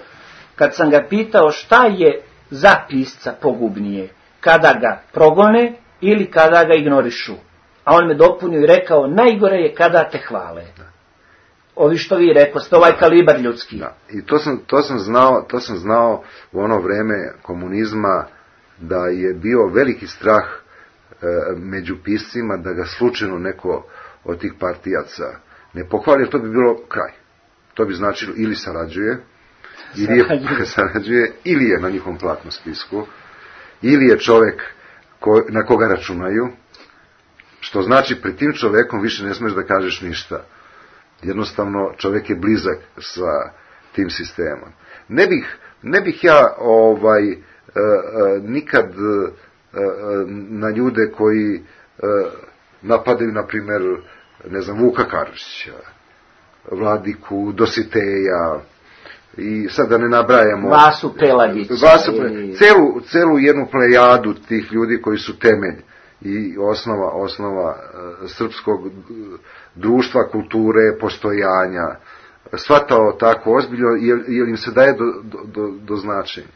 kad sam ga pitao šta je za pisca pogubnije, kada ga progone ili kada ga ignorišu. A on me dopunio i rekao, najgore je kada te hvale. Da. Ovi što vi rekao, ste ovaj kalibar ljudski. Da. I to sam, to sam znao, to sam znao u ono vreme komunizma, da je bio veliki strah e, među piscima da ga slučajno neko od tih partijaca ne pohvali, jer to bi bilo kraj. To bi značilo ili sarađuje, ili je, sarađuje, ili je na njihovom platnom spisku, ili je čovjek ko, na koga računaju, što znači pred tim čovjekom više ne smiješ da kažeš ništa. Jednostavno čovjek je blizak sa tim sistemom. Ne bih, ne bih ja ovaj e, e, nikad e, na ljude koji e, napadaju, na primjer, ne znam, Vuka Karadžića, Vladiku, Dositeja, i sad da ne nabrajamo Vasu Pelagića, Vasu, i... celu, celu jednu plejadu tih ljudi koji su temelj i osnova, osnova e, srpskog društva, kulture, postojanja, shvatao tako ozbiljno, jer, jer im se daje do, do, do značenja.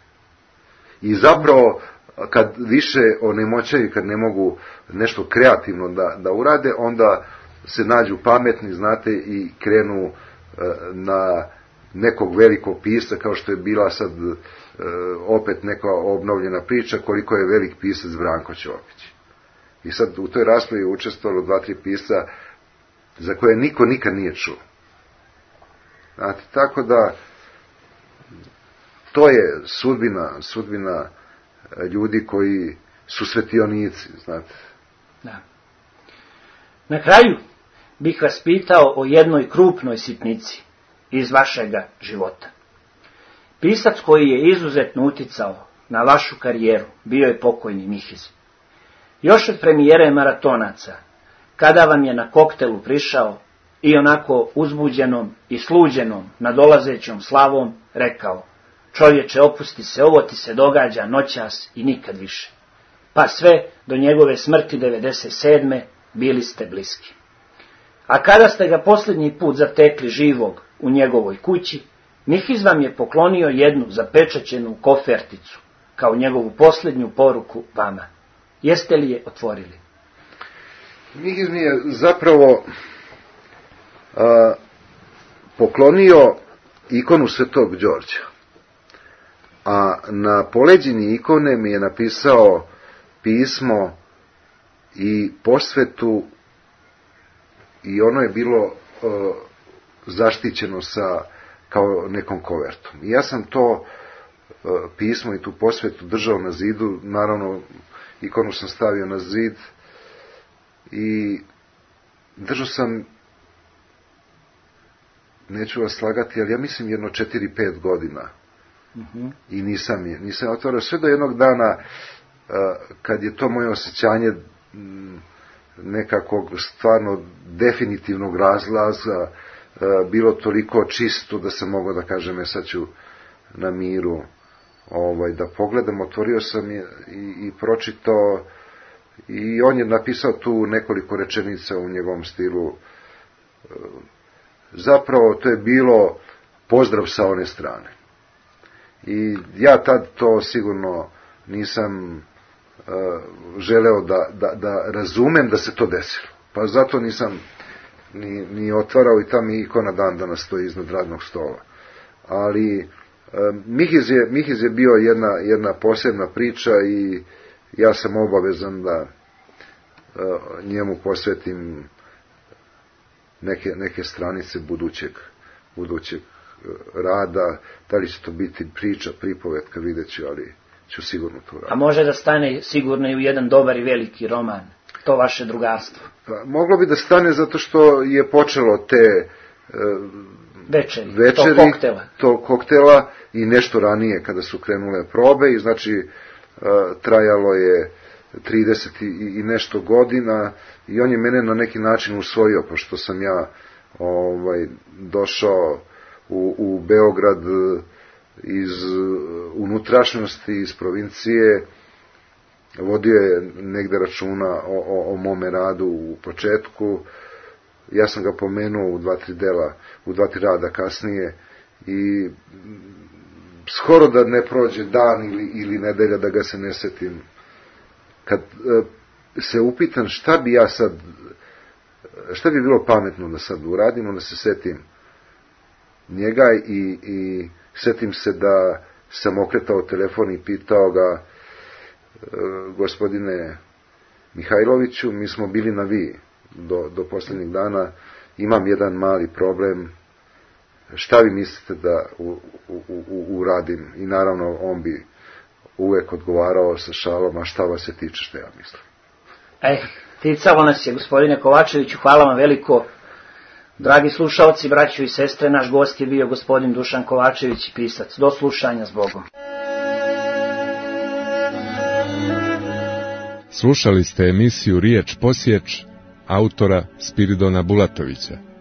I zapravo, kad više onemoćaju, kad ne mogu nešto kreativno da, da urade, onda se nađu pametni, znate, i krenu e, na nekog velikog pisca, kao što je bila sad e, opet neka obnovljena priča, koliko je velik pisac Branko Ćopić. I sad u toj raspravi je učestvovalo dva, tri pisca za koje niko nikad nije čuo. Znate, tako da to je sudbina, sudbina ljudi koji su svetionici, znate. Da. Na kraju bih vas pitao o jednoj krupnoj sitnici iz vašega života. Pisac koji je izuzetno uticao na vašu karijeru bio je pokojni Mihiz. Još od premijere Maratonaca, kada vam je na koktelu prišao i onako uzbuđenom i sluđenom nadolazećom slavom rekao: čovječe, opusti se, ovo ti se događa noćas i nikad više. Pa sve do njegove smrti devedeset sedme bili ste bliski. A kada ste ga posljednji put zatekli živog u njegovoj kući, Mihiz vam je poklonio jednu zapečaćenu koferticu, kao njegovu posljednju poruku vama. Jeste li je otvorili? Mihiz mi je zapravo a, poklonio ikonu Svetog Đorđa. A na poleđini ikone mi je napisao pismo i posvetu, i ono je bilo a, zaštićeno sa kao nekom kovertom. I ja sam to a, pismo i tu posvetu držao na zidu, naravno ikonu sam stavio na zid i držao sam, neću vas slagati, ali ja mislim jedno četiri pet godina. Mm-hmm. I nisam je, nisam je otvarao sve do jednog dana kad je to moje osjećanje nekakvog stvarno definitivnog razlaza bilo toliko čisto da sam mogao da kažem, ja sad ću na miru ovaj, da pogledam. Otvorio sam je i, i pročitao, i on je napisao tu nekoliko rečenica u njegovom stilu. Zapravo to je bilo pozdrav sa one strane. I ja tad to sigurno nisam uh, želeo da, da, da razumem da se to desilo. Pa zato nisam ni, ni otvarao, i tam ikona dan danas stoji iznad radnog stola. Ali uh, Mihiz, je, Mihiz je bio jedna, jedna posebna priča i ja sam obavezan da uh, njemu posvetim neke, neke stranice budućeg, budućeg rada. Da li će to biti priča, pripovetka, vidjet ću, ali ću sigurno to raditi. A može da stane sigurno i u jedan dobar i veliki roman, to vaše drugarstvo? Pa, moglo bi da stane zato što je počelo te uh, večeri, večeri to koktela. to koktela i nešto ranije kada su krenule probe, i znači uh, trajalo je trideset i, i nešto godina, i on je mene na neki način usvojio, pošto sam ja ovaj, došao u, u Beograd iz unutrašnjosti, iz provincije. Vodio je negde računa o, o, o mome radu u početku. Ja sam ga pomenuo u dva, tri dela, u dva, tri rada kasnije, i skoro da ne prođe dan ili, ili nedelja da ga se ne setim. Kad e, se upitam šta bi ja sad, šta bi bilo pametno da sad uradim, onda se setim njega i, i setim se da sam okretao telefon i pitao ga, e, gospodine Mihajloviću, mi smo bili na vi do, do posljednjeg dana, imam jedan mali problem, šta vi mislite da u, u, u, uradim? I naravno on bi uvek odgovarao sa šalom, a šta vas se tiče, što ja mislim. E, ticalo nas je, gospodine Kovačeviću, hvala vam veliko. Dragi slušalci, braćo i sestre, naš gost je bio gospodin Dušan Kovačević, pisac. Do slušanja, s Bogom. Slušali ste emisiju Riječ posječ autora Spiridona Bulatovića.